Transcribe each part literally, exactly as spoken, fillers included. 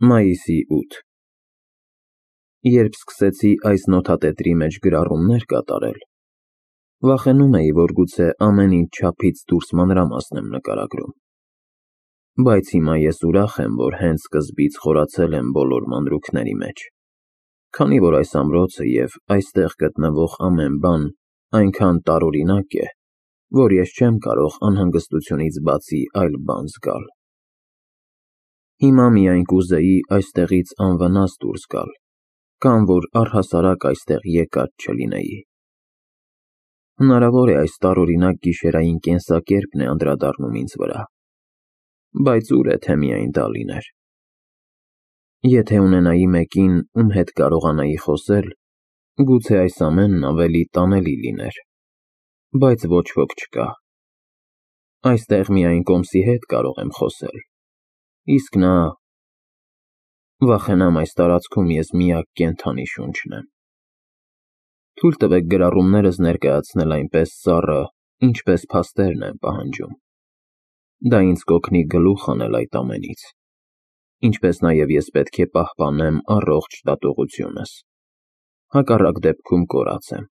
Մայիսի ութ Երբ սկսեցի այս նոթատետրի մեջ գրառումներ կատարել, վախենում էի, որ գուցե ամեն ինչ չափից դուրս մանրամասն եմ նկարագրում, բայց հիմա ես ուրախ եմ, որ հենց սկզբից խորացել եմ բոլոր մանրուքների մեջ, քանի որ այս ամրոցը և այստեղ գտնվող ամեն բան այնքան տարօրինակ է, որ ես չեմ կարող անհանգստությունից բացի այլ բան զգալ։ Հիմա միայն կուզեի այստեղից անվնաս դուրս գալ, կամ որ առհասարակ այստեղ եկած չլինեի։ Հնարավոր է այս տարօրինակ գիշերային կենսակերպն է անդրադառնում ինձ վրա, բայց ուր է, թե միայն դա լիներ։ Եթե ունենայի մեկին, ում հետ կարողանայի խոսել, գուցե այս ամենն ավելի տանելի լիներ, բայց ոչ ոք չկա։ Այստեղ միայն Կոմսի հետ կարող եմ խոսել, իսկ նա… Վախենամ այս տարածքում ես միակ կենդանի շունչն եմ։ Թույլ տվեք գրառումներս ներկայացնել այնպես սառը, ինչպես փաստերն են պահանջում։ Դա ինձ կօգնի գլուխ հանել այդ ամենից, ինչպես նաև ես պետք է պահպանեմ առողջ դատողությունս, հակառակ դեպքում կորած եմ։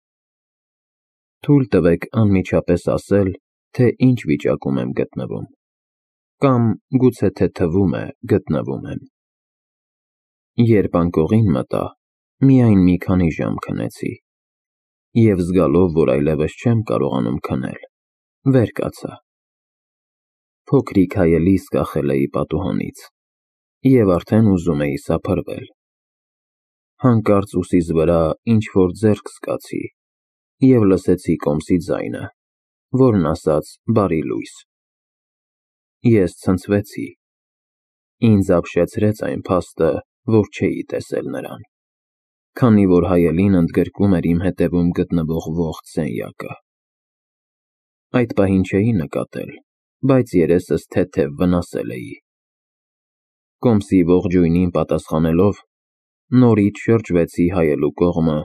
Թույլ տվեք անմիջապես ասել, թե ինչ վիճակում եմ գտնվում, կամ գուցե թե թվում է գտնվում եմ։ Երբ անկողին մտա, միայն մի քանի ժամ քնեցի, և զգալով, որ այլևս չեմ կարողանում քնել, վեր կացա։ Փոքրիկ հայելիս կախել էի պատուհանից, և արդեն ուզում էի սափրվել։ Հանկարծ ուսիս վրա ինչ-որ ձեռք զգացի և լսեցի Կոմսի ձայնը, որն ասաց «Բարի լույս»։ Ես ցնցվեցի։ Ինձ ապշեցրեց այն փաստը, որ չէի տեսել նրան, քանի որ հայելին ընդգրկում էր իմ հետևում գտնվող ողջ սենյակը։ Այդ պահին չէի նկատել, բայց երեսս թեթև վնասել էի։ Կոմսի ողջույնին պատասխանելով, նորից շրջվեցի հայելու կողմը,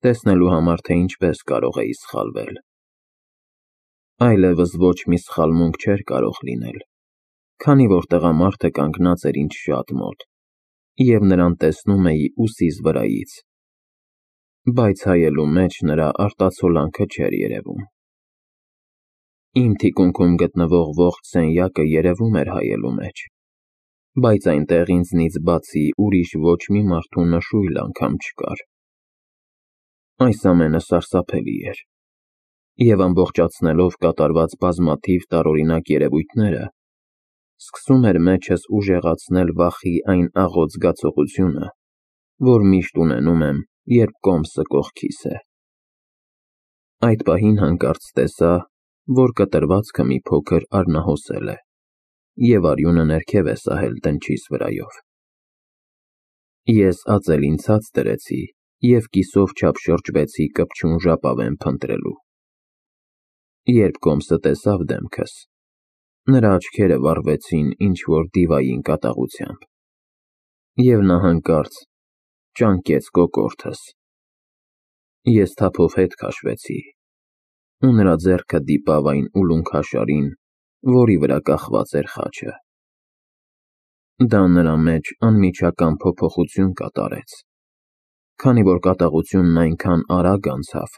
տեսնելու համար, թե ինչպես կարող էի սխալվել։ Այլևս ոչ մի սխալմունք չէր կարող լինել, քանի որ տղամարդը կանգնած էր ինձ շատ մոտ, և նրան տեսնում էի ուսիս վրայից, բայց հայելու մեջ նրա արտացոլանքը չէր երևում։ Իմ թիկունքում գտնվող ողջ սենյակը երևում էր հայելու մեջ, բայց այնտեղ ինձնից բացի ուրիշ ոչ մի մարդու նշույլ անգամ չկար։ Այս ամենը սարսափելի էր, և ամբողջացնելով կատարված բազմաթիվ տարօրինակ երևույթները, սկսում էր մեջս ուժեղացնել վախի այն աղոտ զգացողությունը, որ միշտ ունենում եմ, երբ Կոմսը կողքիս է։ Այդ պահին հանկարծ տեսա, որ կտրվածքը մի փոքր արնահոսել է, և արյունը ներքև է սահել դնչիս վրայով։ Ես ածելին ցած դրեցի և կիսով չափ շրջվեցի կպչուն ժապավեն փնտրելու։ Երբ Կոմսը տեսավ դեմքս, նրա աչքերը վառվեցին ինչ-որ դիվային կատաղությամբ, և նա հանկարծ ճանկեց կոկորդս։ Ես թափով հետ քաշվեցի, ու նրա ձեռքը դիպավ այն ուլունքաշարին, որի վրա կախված էր խաչը։ Դա նրա մեջ անմիջական փոփոխություն կատարեց, քանի որ կատաղությունն այնքան արագ անցավ,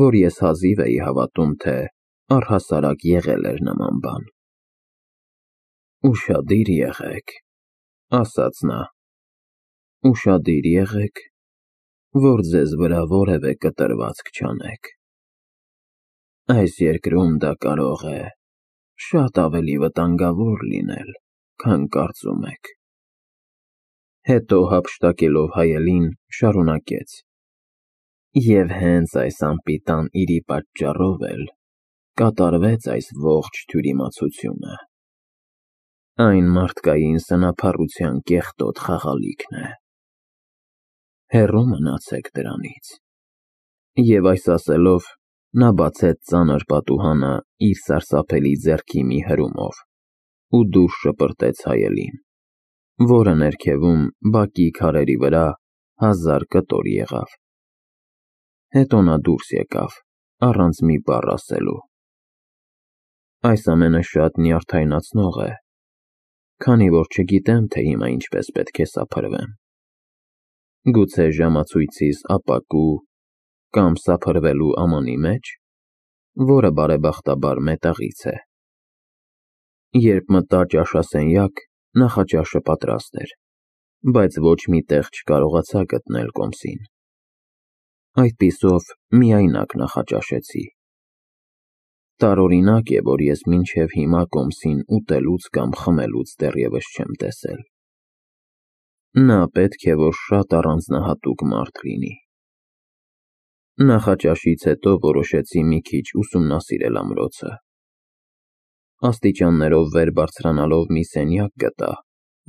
որ ես հազիվ էի հավատում, թե առհասարակ եղել էր նման բան։ «Ուշադիր եղեք», ասաց նա, «ուշադիր եղեք, որ ձեզ վրա որևէ կտրվածք չանեք։ Այս երկրում դա կարող է շատ ավելի վտանգավոր լինել, քան կարծում եք»։ Հետո հափշտակելով հայելին, շարունակեց. «Եվ հենց այս անպիտան իրի պատճառով էլ կատարվեց այս ողջ թյուրիմացությունը։ Այն մարդկային սնափառության կեղտոտ խաղալիքն է։ Հեռու մնացեք դրանից»։ Եվ այս ասելով, նա բացեց ծանր պատուհանը իր սարսափելի ձեռքի մի հրումով ու դուրս շպրտեց հայելին, որը ներքևում բակի քարերի վրա հազար կտոր եղավ։ Հետո նա դուրս եկավ, առանց մի բառ ասելու։ Այս ամենը շատ նյարդայնացնող է, քանի որ չգիտեմ, թե հիմա ինչպես պետք է սափրվեմ։ Գուցե ժամացույցիս ապակու կամ սափրվելու ամանի մեջ, որը բարեբախտաբար մետաղից է։ Երբ մտա ճաշասենյակ, նախաճաշը պատրաստ էր, բայց ոչ մի տեղ չկարողացա գտնել կոմսին։ Այդպիսով միայնակ նախաճաշեցի։ Տարօրինակ է, որ ես մինչև հիմա կոմսին ուտելուց կամ խմելուց դեռևս չեմ տեսել։ Նա պետք է, որ շատ առանձնահատուկ մարդ լինի։ Նախաճաշից հետո որոշեցի մի քիչ ուսումնասիրել ամրոցը։ Աստիճաններով վեր բարձրանալով մի սենյակ գտա,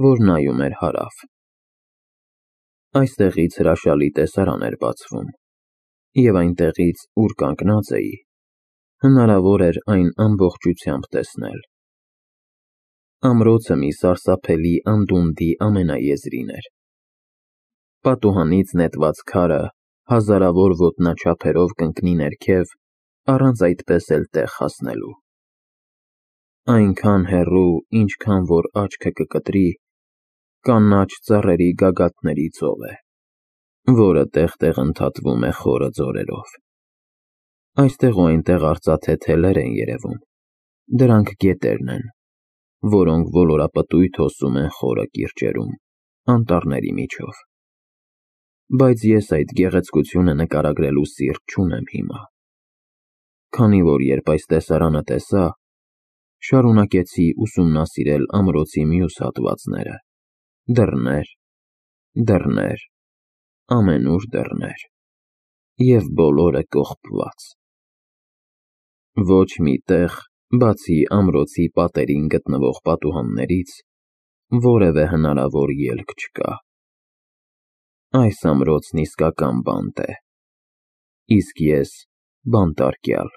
որ նայում էր հարավ։ Այստեղից հրաշալի տեսարան էր բացվում, և այնտեղից, ուր կանգնած էի, հնարավոր էր այն ամբողջությամբ տեսնել։ Ամրոցը մի սարսափելի անդունդի ամենաեզրին էր։ Պատուհանից նետված քարը հազարավոր ոտնաչափերով կընկնի ներքև, առանց այդպես էլ տեղ հասնելու։ Այնքան հեռու, ինչքան որ աչքը կկտրի, կանաչ ծառերի գագաթների ծով է, որը տեղ-տեղ ընդհատվում է խորը ձորերով։ Այստեղ ու այնտեղ արծաթե թելեր են երևում, դրանք գետերն են, որոնք ոլորապտույտ հոսում են խորը կիրճերում, անտառների միջով։ Բայց ես այդ գեղեցկությունը նկարագրելու սիրտ չունեմ հիմա, քանի որ երբ այս տեսարանը տեսա, շարունակեցի ուսումնասիրել ամրոցի մյուս հատվածները, դռներ, դռներ, ամենուր դռներ, և բոլորը կողպված։ Ոչ մի տեղ, բացի ամրոցի պատերին գտնվող պատուհաններից, որևէ հնարավոր ելք չկա։ Այս ամրոցն իսկական բանտ է, իսկ ես բանտարկյալ։